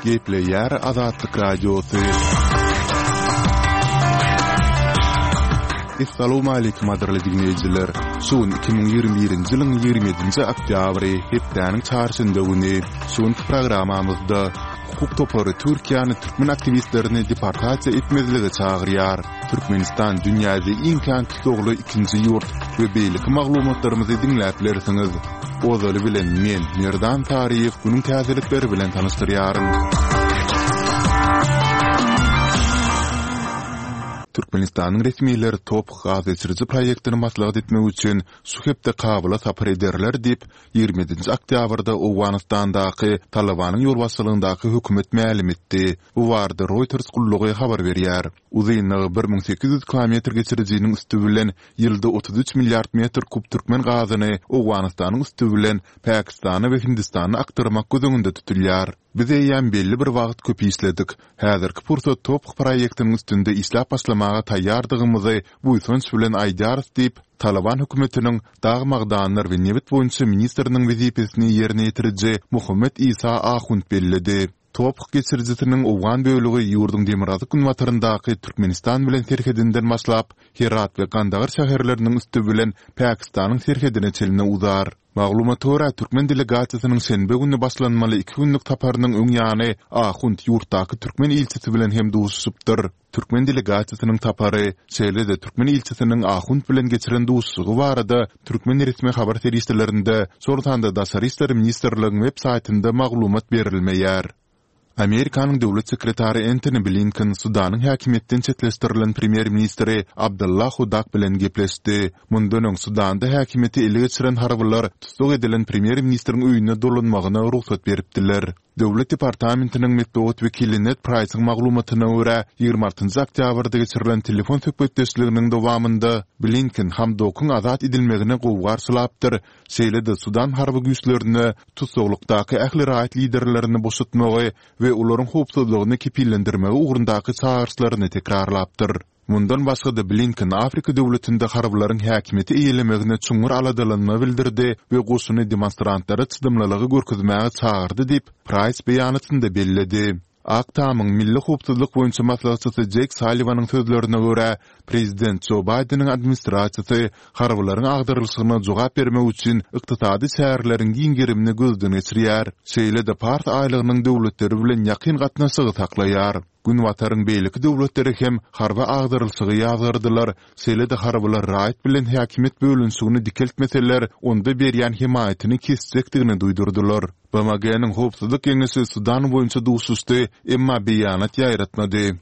Gepleýär Azatlyk Radiosy. Essalawmaleýkim gadyrly diňleýjiler! Şu gün 2021-nji ýylyň 27-nji oktýabry, hepdäniň çarşenbe güni. Şu günki programmamyzda hukuk topary Türkiýäni türkmen aktiwistlerini deportasiýa etmezlige çagyrýar. Türkmenistan dünýäde iň kän tussagly ikinji ýurt we beýleki maglumatlarymyzy diňläp bilersiňiz. Ozaly bilen men, Merdan Saryýew günüň täzelikleri bilen tanyşdyrýaryn. Türkmenistanyň resmileri TOPH gazgeçiriji proýektini maslahat etmek üçin şu hepde Kabula sapar ederler diýip, 27-nji oktýabrda Owganystandaky Talybanyň ýolbaşçylygyndaky hökümet mälim etdi. Bu barada Reuters gullugy habar berýär. Uzynlygy 1800 kilometr geçirijiniň üsti bilen ýylda 33 milliard metr kub türkmen gazyny Owganystanyň üsti bilen Pakistana we Hindistana akdyrmak göz öňünde tutulýar. Biz eýýäm belli bir wagt köp işledik. Häzirki pursat TOPH proýektiniň üstünde işläp başlamaga taýýardygymyzy buýsanç bilen aýdýarys diýip, Talyban hökümetiniň dag-magdanlar we nebit boýunça ministriniň wezipesini ýerine ýetiriji Mohammed Isa Ahund belledi. TOPH geçirijisiniň owgan bölegi ýurduň demirgazyk-günbataryndaky Türkmenistan bilen serhedinden başlap, Herat we Gandagar şäherleriniň üsti bilen Pakistanyň serhedine çenli uzar. Maglumata görä, türkmen delegasiýasynyň şenbe güni başlanmaly iki günlük saparynyň öň ýany Ahund ýurtdaky türkmen ilçisi bilen hem duşuşypdyr. Türkmen delegasiýasynyň sapary, şeýle-de türkmen ilçisiniň Ahund bilen geçiren duşuşygy barada türkmen resmi habar serişdelerinde, şol sanda Daşary işler ministrligiň web saýtynda maglumat berilmeýär. Amerikanyň döwlet sekretary Entoni Blinken Sudanyň häkimiýetden çetleşdirilen premýer-ministri Abdallah Hudak bilen gepleşdi. Mundan öň Sudanda häkimiýeti ele geçiren harbylar tussag edilen premýer-ministriň öýüne dolanmagyna rugsat beripdiler. Döwlet departamentiniň metbugat wekili Ned Praýsyň maglumatyna görä, 26 oktýabrda geçirilen telefon söhbetdeşliginiň dowamynda Blinken Hamdokyň azat edilmegini gowy garşylapdyr, şeýle-de Sudan harby güýçlerine tussaglykdaky ähli raýat liderlerini boşatmagy we olaryň howpsuzlygyny kepillendirmegi ugrundaky çagyryşlaryny tekrarlapdyr. Mundan başga-da Blinken Afrika döwletinde harbylaryň häkimiýeti eýelemegine çuňňur aladalanma bildirdi we goşuny demonstrantlara çydamlylygy görkezmäge çagyrdy diýip, Praýs beýanatynda belledi. Ak Tamyň milli howpsuzlyk boýunça maslahatçysy Jeýk Salliwanyň sözlerine görä, prezident Jo Baýdeniň administrasiýasy harbylaryň agdarylyşygyna jogap bermek üçin ykdysady çäreleriň giň gerimini gözden geçirýär, şeýle-de Pars aýlagynyň döwletleri bilen ýakyn gatnaşygy saklaýar. Günbataryň beýleki döwletleri hem harby agdarylyşygy ýazgardylar, şeýle-de harbylar raýat bilen häkimiýet bölünişigini dikeltmeseler, onda berýän hemaýatyny kesjekdigini duýdurdylar. BMG-niň Howpsuzlyk Geňeşi Sudan boýunça duşuşdy, emma beýanat ýaýratmady.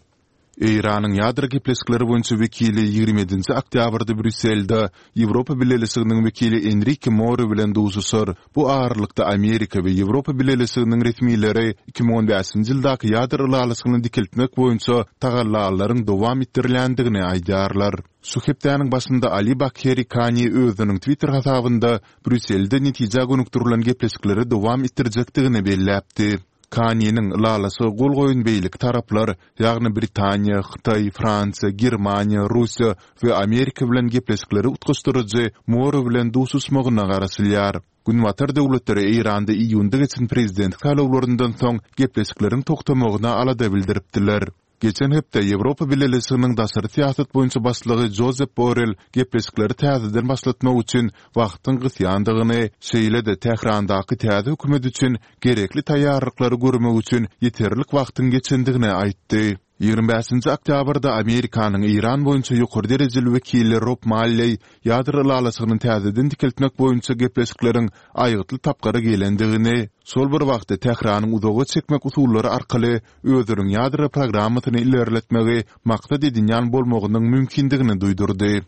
Eýranyň ýadro gepleşikleri boýunça wekili 27-nji oktýabrda Brýusselde Ýewropa Bileleşiginiň wekili Enrike Mori bilen duşuşar. Bu aralykda Amerika we Ýewropa Bileleşiginiň resmileri 2015-nji ýyldaky ýadro ylalaşygyny dikeltmek boýunça tagallalaryň dowam etdirilýändigini aýdýarlar. Şu hepdäniň başynda Ali Bakheri Kani özüniň Twitter hasabynda Brýusselde netijä gönükdirilen gepleşikleri dowam etdirjekdigini belläpdi. Kaniniň ylalaşyga gol goýan beýleki taraplar, ýagny Britaniýa, Hytaý, Fransiýa, Germaniýa, Russiýa we Amerika bilen gepleşikleri utgaşdyryjy Moro bilen duşuşmagyna garaşylýar. Günbatar döwletleri Eýranda iýunda geçen prezidentlik saýlawlaryndan soň gepleşikleriň togtamagyna alada bildiripdiler. Geçen hepde Ýewropa Bileleşiginiň daşary syýasat boýunça başlygy Jozep Borrel gepleşikleri täzeden başlatmak üçin wagtyň gysýandygyny, şeýle-de Tährandaky täze hökümet üçin gerekli taýýarlyklary görmek üçin ýeterlik wagtyň geçendigini aýtdy. 25-nji oktýabrda Amerikanyň Eýran boýunça ýokary derejeli wekili Rob Malleý ýadro ylalaşygyny täzeden dikeltmek boýunça gepleşikleriň aýgytly tapgyra gelendigini, şol bir wagtda Tähranyň uzaga çekmek usullary arkaly özüniň ýadro programmasyny ilerletmegi maksat edinýän bolmagynyň mümkindigini duýdurdy.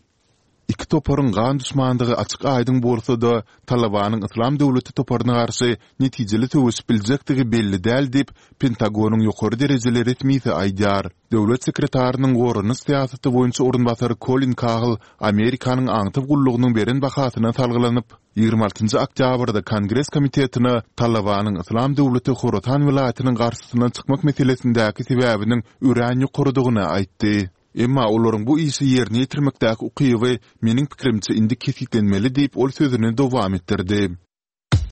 Iki toparyň gan duşmandygy açyk-aýdyň bolsa-da, Talybanyň Yslam döwleti toparyna garşy netijeli söweşip biljekdigi belli däl diýip, Pentagonyň ýokary derejeli resmisi aýdýar. Döwlet sekretarynyň goranyş syýasaty boýunça orunbasary Kolin Kahl Amerikanyň aňtaw gullugynyň beren bahasyna salgylanyp, 26-njy oktýabrda Kongres komitetine Talybanyň Yslam döwleti Horasan welaýatynyň garşysyna çykmak meselesindäki sebäbiniň örän ýokarydygyny aýtdy. Emma olaryň bu işi ýerine ýetirmekdäki ukyby, meniň pikirimçe, indi kesgitlenmeli diýip, ol sözüni dowam etdirdi.